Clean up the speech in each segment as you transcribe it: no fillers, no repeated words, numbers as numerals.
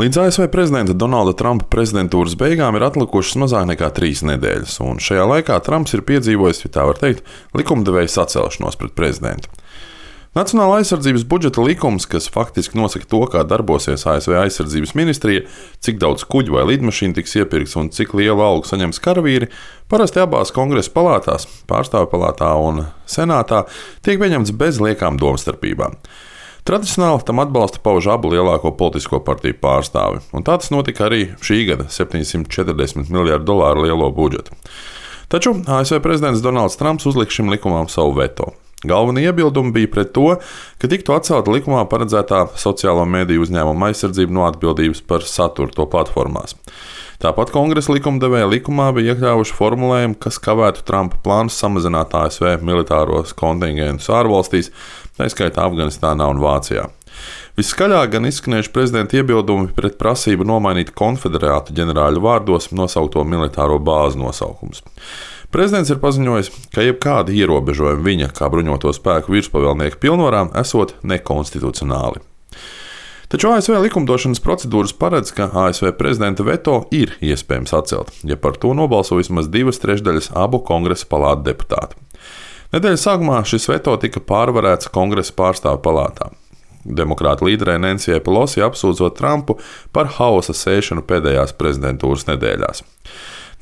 Līdz ASV prezidenta Donalda Trumpa prezidentūras beigām ir atlikušas mazāk nekā 3 nedēļas, un šajā laikā Trumps ir piedzīvojis, ja tā var teikt, likumdevēja sacelšanos pret prezidentu. Nacionālā aizsardzības budžeta likums, kas faktiski nosaka to, kā darbosies ASV aizsardzības ministrija, cik daudz kuģu vai lidmašīnu tiks iepirkts un cik lielu algu saņems karavīri, parasti abās kongresa palātās, pārstāvju palātā un senātā, tiek pieņemts bez liekām domstarpībām. Tradicionāli tam atbalsta pauž abu lielāko politisko partiju pārstāvi, un tā tas notika arī šī gada $740 miljardu lielo budžetu. Taču ASV prezidents Donalds Trumps uzlika šim likumam savu veto. Galvenie iebildumi bija pret to, ka tiktu atcelta likumā paredzētā sociālo mediju uzņēmumu aizsardzība no atbildības par saturu to platformās. Tāpat kongresa likumdevēja likumā bija iekļāvuši formulējumu, kas kavētu Trumpa plānus samazināt ASV militāros kontingentus ārvalstīs, tā skaitā Afganistānā un Vācijā. Viskaļāk gan izskanējuši prezidenta iebildumi pret prasību nomainīt konfederātu ģenerāļu vārdos nosaukto militāro bāzu nosaukumus. Prezidents ir paziņojis, ka jebkādi ierobežojumi viņa kā bruņoto spēku virspavēlnieka pilnvarām esot nekonstitucionāli. Taču ASV likumdošanas procedūras paredz, ka ASV prezidenta veto ir iespējams atcelt, ja par to nobalso vismaz 2/3 abu kongresa palātu deputātu. Nedēļas sākumā šis veto tika pārvarēts kongresa pārstāvju palātā. Demokrāta līderei Nancyjai Pelosi apsūdzot Trumpu par hausa sēšanu pēdējās prezidentūras nedēļās.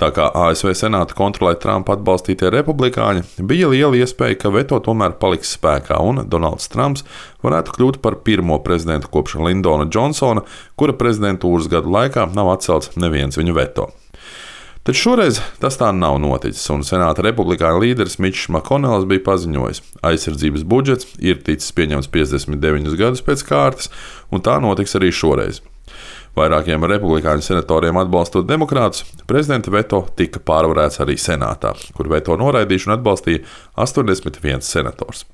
Tā kā ASV senāta kontrolē Trumpa atbalstītie republikāņi, bija liela iespēja, ka veto tomēr paliks spēkā un Donalds Trumps varētu kļūt par pirmo prezidentu kopš Lindona Džonsona, kura prezidentūras gadu laikā nav atcelts neviens viņa veto. Taču šoreiz tas tā nav noticis, un senāta republikāņu līderis Mičs Makonels bija paziņojis, aizsardzības budžets ir ticis pieņemts 59 gadus pēc kārtas, un tā notiks arī šoreiz. Vairākiem republikāņu senatoriem atbalstot demokrātus, prezidenta veto tika pārvarēts arī senātā, kur veto noraidīšanu atbalstīja 81 senators.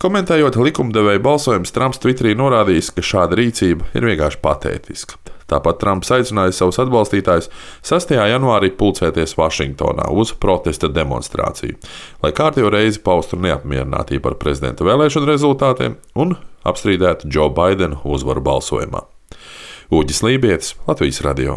Komentējot likumdevēja balsojumus, Trumps Twitterī norādījis, ka šāda rīcība ir vienkārši patētiska. Tāpat Trumps aicināja savus atbalstītājus 6. janvārī pulcēties Vašingtonā uz protesta demonstrāciju, lai kārtējo reizi paustu neapmierinātību par prezidenta vēlēšanu rezultātiem un apstrīdētu Džo Baidenu uzvaru balsojumā. Uģis Lībietis, Latvijas radio.